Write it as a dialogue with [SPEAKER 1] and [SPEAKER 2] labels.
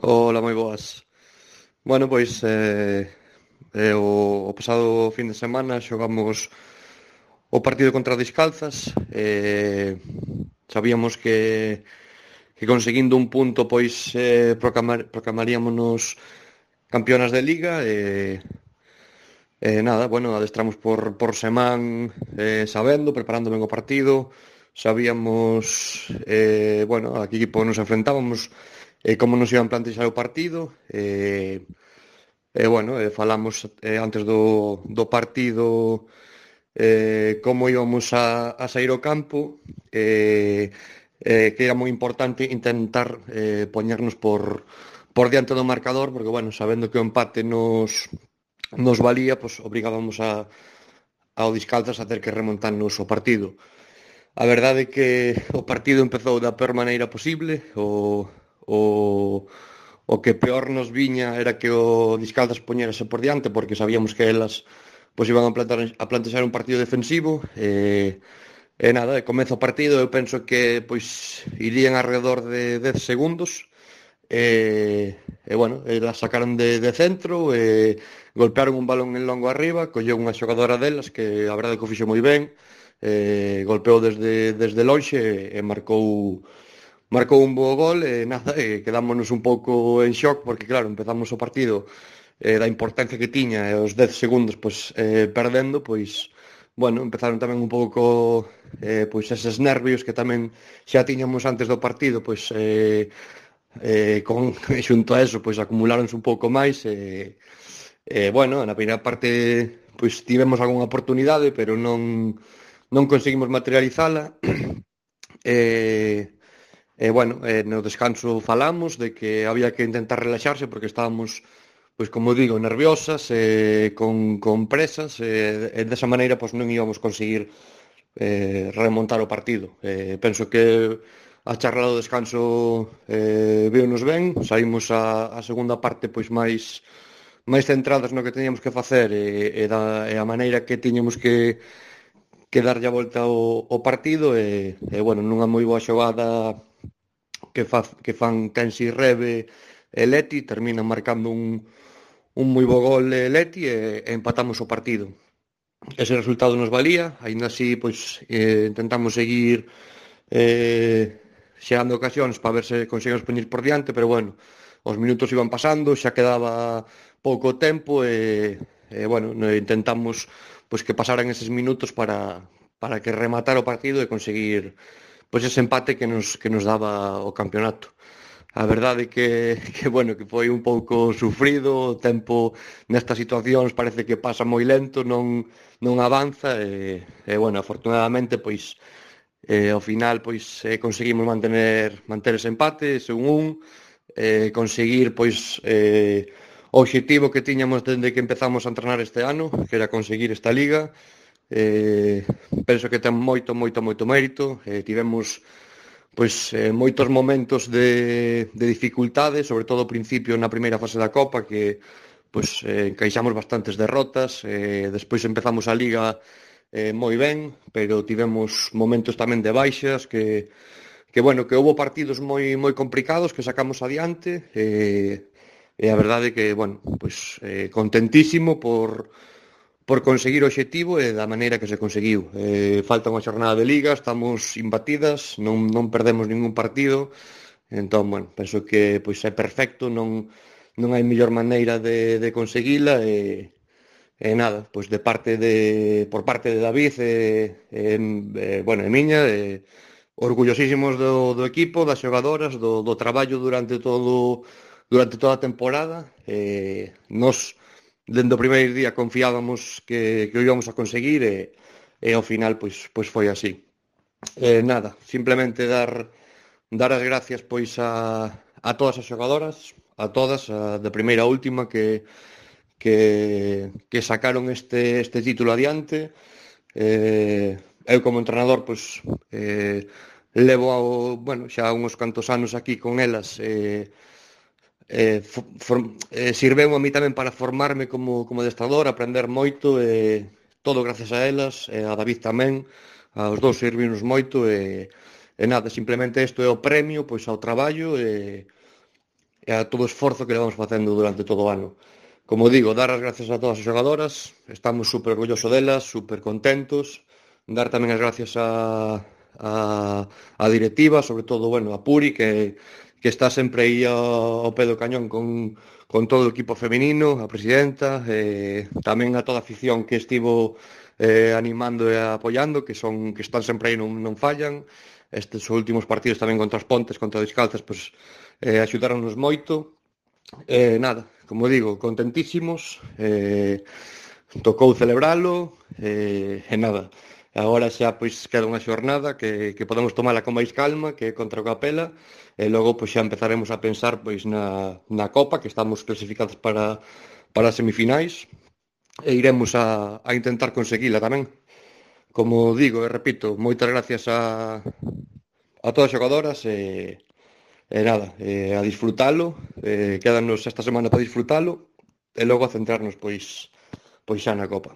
[SPEAKER 1] Ola, moi boas. Bueno, pois o pasado fin de semana xogamos o partido contra o Discalzas. Sabíamos que conseguindo un punto pois proclamaríamos campeonas de Liga. Nada, bueno, adestramos por semana, sabendo, preparando ben o partido. Sabíamos, bueno, a que equipo nos enfrentábamos, como nos iban plantexar o partido. Bueno, falamos antes do partido, como íbamos a sair ao campo, que era moi importante intentar poñernos por diante do marcador, porque, bueno, sabendo que o empate nos valía, pues obrigábamos ao Discalzas a ter que remontarnos o partido. A verdade é que o partido empezou da peor maneira posible. O que peor nos viña era que o Discalzas poñerase por diante, porque sabíamos que elas pois iban a plantexar un partido defensivo. Nada, comeza o partido, eu penso que pois irían alrededor de 10 segundos. Bueno, la sacaron de centro, golpearon un balón en longo arriba, colleu unha xogadora delas que a verdade que o fixo moi ben. Golpeou desde lonxe e marcou un bo gol. Nada, quedámonos un pouco en shock porque claro, empezamos o partido da importancia que tiña, e os 10 segundos pois perdendo, pois bueno, empezaron tamén un pouco pois eses nervios que tamén xa tiñamos antes do partido, pois xunto a eso, pois acumuláronse un pouco máis. Bueno, na primeira parte pois tivemos algunha oportunidade, pero non conseguimos materializala. Bueno, no descanso falamos de que había que intentar relaxarse porque estábamos, pois como digo, nerviosas, con presas, e desa maneira pois non íbamos conseguir remontar o partido. Penso que a charla do descanso viunos ben, saímos a segunda parte pois máis centradas no que teníamos que facer, e a maneira que tiñamos que darlle a volta ao partido. Bueno, nunha moi boa xogada que fan Kensi Rebe e Leti, terminan marcando un moi bo gol Leti, e empatamos o partido. Ese resultado nos valía, aínda así pois intentamos seguir xerando ocasións para ver se conseguimos poñer por diante, pero bueno, os minutos iban pasando, xa quedaba pouco tempo, bueno, intentamos pois que pasaran eses minutos para que rematara o partido e conseguir pois ese empate que nos daba o campeonato. A verdade que bueno, que foi un pouco sufrido. O tempo nestas situacións parece que pasa moi lento, non avanza. Bueno, afortunadamente pois ao final pois conseguimos manter ese empate, ese 1-1. Conseguir pois o obxectivo que tiñamos dende que empezamos a entrenar este ano, que era conseguir esta liga. Penso que ten moito mérito. Tivemos pois moitos momentos de dificultade, sobre todo ao principio na primeira fase da Copa, que pois encaixamos bastantes derrotas. Despois empezamos a Liga moi ben, pero tivemos momentos tamén de baixas que bueno, que houbo partidos moi complicados que sacamos adiante. E a verdade que, bueno, pois contentísimo por conseguir o obxectivo e da maneira que se conseguiu. Falta unha xornada de Liga, estamos imbatidas, non perdemos ningún partido. Entón, bueno, penso que pois é perfecto, non hai mellor maneira de conseguila. Nada, pois por parte de David, bueno, e miña, orgullosísimos do equipo, das xogadoras, do traballo durante toda a temporada. Nos dende o primeiro día confiábamos que o íbamos a conseguir, e ao final pois foi así. Nada, simplemente dar as gracias pois a todas as xogadoras, a todas, de primeira a última, que sacaron este título adiante. Eu como entrenador pois levo bueno, xa uns cantos anos aquí con elas. Sirveu a mí tamén para formarme como adestrador, aprender moito, todo gracias a elas, a David tamén. Aos dous servimos moito. Nada, simplemente isto é o premio pois ao traballo e a todo o esforzo que levamos facendo durante todo o ano. Como digo, dar as gracias a todas as xogadoras, estamos super orgullosos delas, super contentos, dar tamén as gracias a directiva, sobre todo, bueno, a Puri, que está sempre aí ao pé do cañón con todo o equipo feminino, a presidenta, tamén a toda a afición que estivo animando e apoiando, que están sempre aí, non fallan. Estes últimos partidos tamén contra os Pontes, contra os Descalzas, pois axudaronnos moito. Nada, como digo, contentísimos, tocou celebralo, e nada. Agora xa pois queda unha xornada que podemos tomala con máis calma, que é contra o Capela, e logo pois xa empezaremos a pensar pois na Copa, que estamos clasificados para as semifinais, e iremos a intentar conseguila tamén. Como digo e repito, moitas gracias a todas as xogadoras e nada, a disfrutalo, quédanos esta semana para disfrutalo e logo a centrarnos pois xa na Copa.